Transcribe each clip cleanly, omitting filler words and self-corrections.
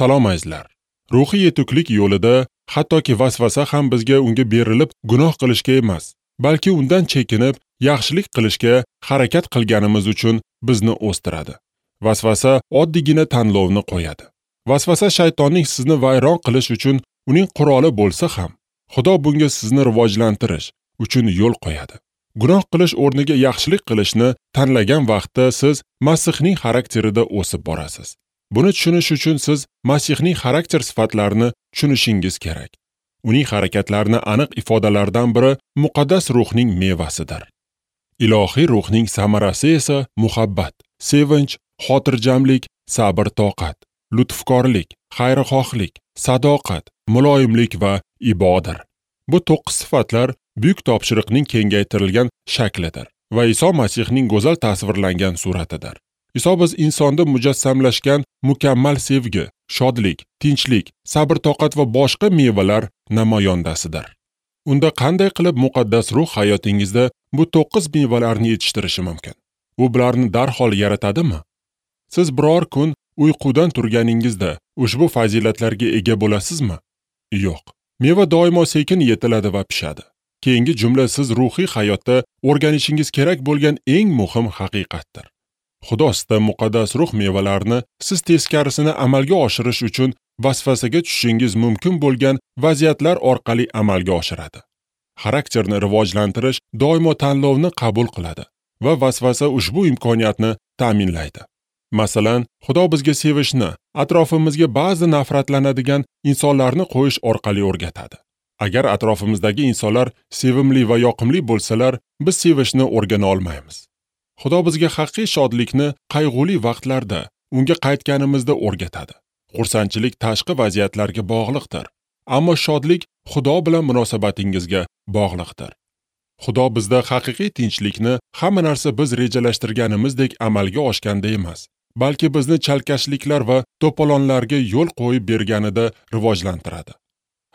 Salom azizlar. Ruhiy yetuklik yo'lida hattoki vasvasa ham bizga unga berilib gunoh qilishga emas, balki undan chekinib yaxshilik qilishga harakat qilganimiz uchun bizni o'stiradi. Vasvasa oddiygina tanlovni qo'yadi. Vasvasa shaytonning sizni vayron qilish uchun uning quroli bo'lsa ham, Xudo bunga sizni rivojlantirish uchun yo'l qo'yadi. Gunoh qilish o'rniga yaxshilik qilishni tanlagan vaqtda siz Masihning xarakterida o'sib borasiz. Buni tushunish uchun siz Masihning xarakter sifatlarini tushunishingiz kerak. Uning harakatlarini aniq ifodalardan biri muqaddas ruhning mevasidir. Ilohiy ruhning samarasi esa muhabbat, sevinch, xotirjamlik, sabr-toqat, lutfkorlik, xayrixohlik, sadoqat, muloyimlik va ibodir. Bu 9 sifatlar buyuk topshiriqning kengaytirilgan shaklidir va Iso Masihning go'zal tasvirlangan suratidir. Iso biz insonda mujassamlashgan mukammal sevgi, shodlik, tinchlik, sabr-toqat va boshqa mevalar namoyondasidir. Unda qanday qilib muqaddas ruh hayotingizda bu 9 mevalarni yetishtirishi mumkin? U bularni darhol yaratadimi? Siz biror kun uyqudan turganingizda ushbu fazilatlarga ega bo'lasizmi? Yo'q. Meva doimo sekin yetiladi va pishadi. Keyingi jumla siz ruhiy hayotda o'rganishingiz kerak bo'lgan eng muhim haqiqatdir. Xudo sizda muqaddas ruh mevalarini siz teskarisini amalga oshirish uchun vasvasaga tushishingiz mumkin bo'lgan vaziyatlar orqali amalga oshiradi. Xarakterni rivojlantirish doimo tanlovni qabul qiladi va vasvasa ushbu imkoniyatni ta'minlaydi. Masalan, Xudo bizga sevishni, atrofimizga ba'zi nafratlanadigan insonlarni qo'yish orqali o'rgatadi. Agar atrofimizdagi insonlar sevimli va yoqimli bo'lsalar, biz sevishni o'rgana olmaymiz. Xudo bizga haqiqiy shodlikni qayg'uli vaqtlarda, unga qaytganimizda o'rgatadi. Xursandchilik tashqi vaziyatlarga bog'liqdir, ammo shodlik Xudo bilan munosabatingizga bog'liqdir. Xudo bizda haqiqiy tinchlikni hamma narsa biz rejalashtirganimizdek amalga oshganda emas, balki bizni chalkashliklar va to'polonlarga yo'l qo'yib berganida rivojlantiradi.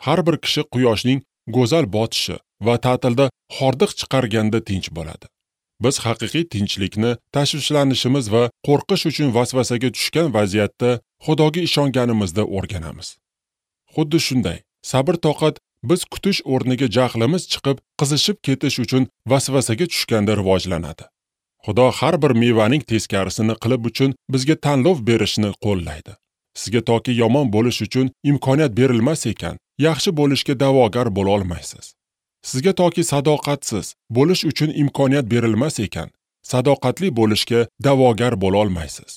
Har bir kishi quyoshning go'zal botishi va ta'tilda hordiq chiqarganda tinch bo'ladi. Biz haqiqiy tinchlikni tashvishlanishimiz va qo'rqish uchun vasvasaga tushgan vaziyatda Xudoga ishonganimizda o'rganamiz. Xuddi shunday, sabr-toqat biz kutish o'rniga jahlimiz chiqib, qizishib ketish uchun vasvasaga tushganda rivojlanadi. Xudo har bir mevaning teskarisini qilib uchun bizga tanlov berishni qo'llaydi. Sizga toki yomon bo'lish uchun imkoniyat berilmas ekan, yaxshi bo'lishga da'vogar bo'la olmaysiz. Sizga toki sadoqatsiz bo'lish uchun imkoniyat berilmas ekan, sadoqatli bo'lishga da'vogar bo'la olmaysiz.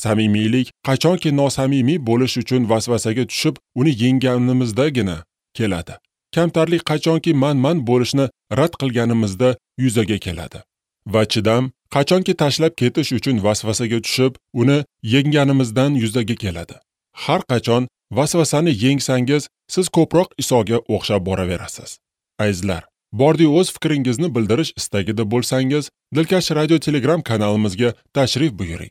Samimiylik qachonki nosamimiy bo'lish uchun vasvasaga tushib, uni yengganimizdagina keladi. Kamtarlik qachonki man-man bo'lishni rad qilganimizda yuzaga keladi. Va chidam qachonki tashlab ketish uchun vasvasaga tushib, uni yengganimizdan yuzaga keladi. Har qachon vasvasani yengsangiz, siz ko'proq Isoga o'xshab boraverasiz. Azizlar, bordi o'z fikringizni bildirish istagida bo'lsangiz, Dilkash Radio Telegram kanalimizga tashrif buyuring.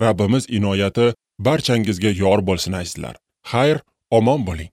Rabbimiz inoyati barchangizga yor bo'lsin azizlar. Xayr, omon bo'ling.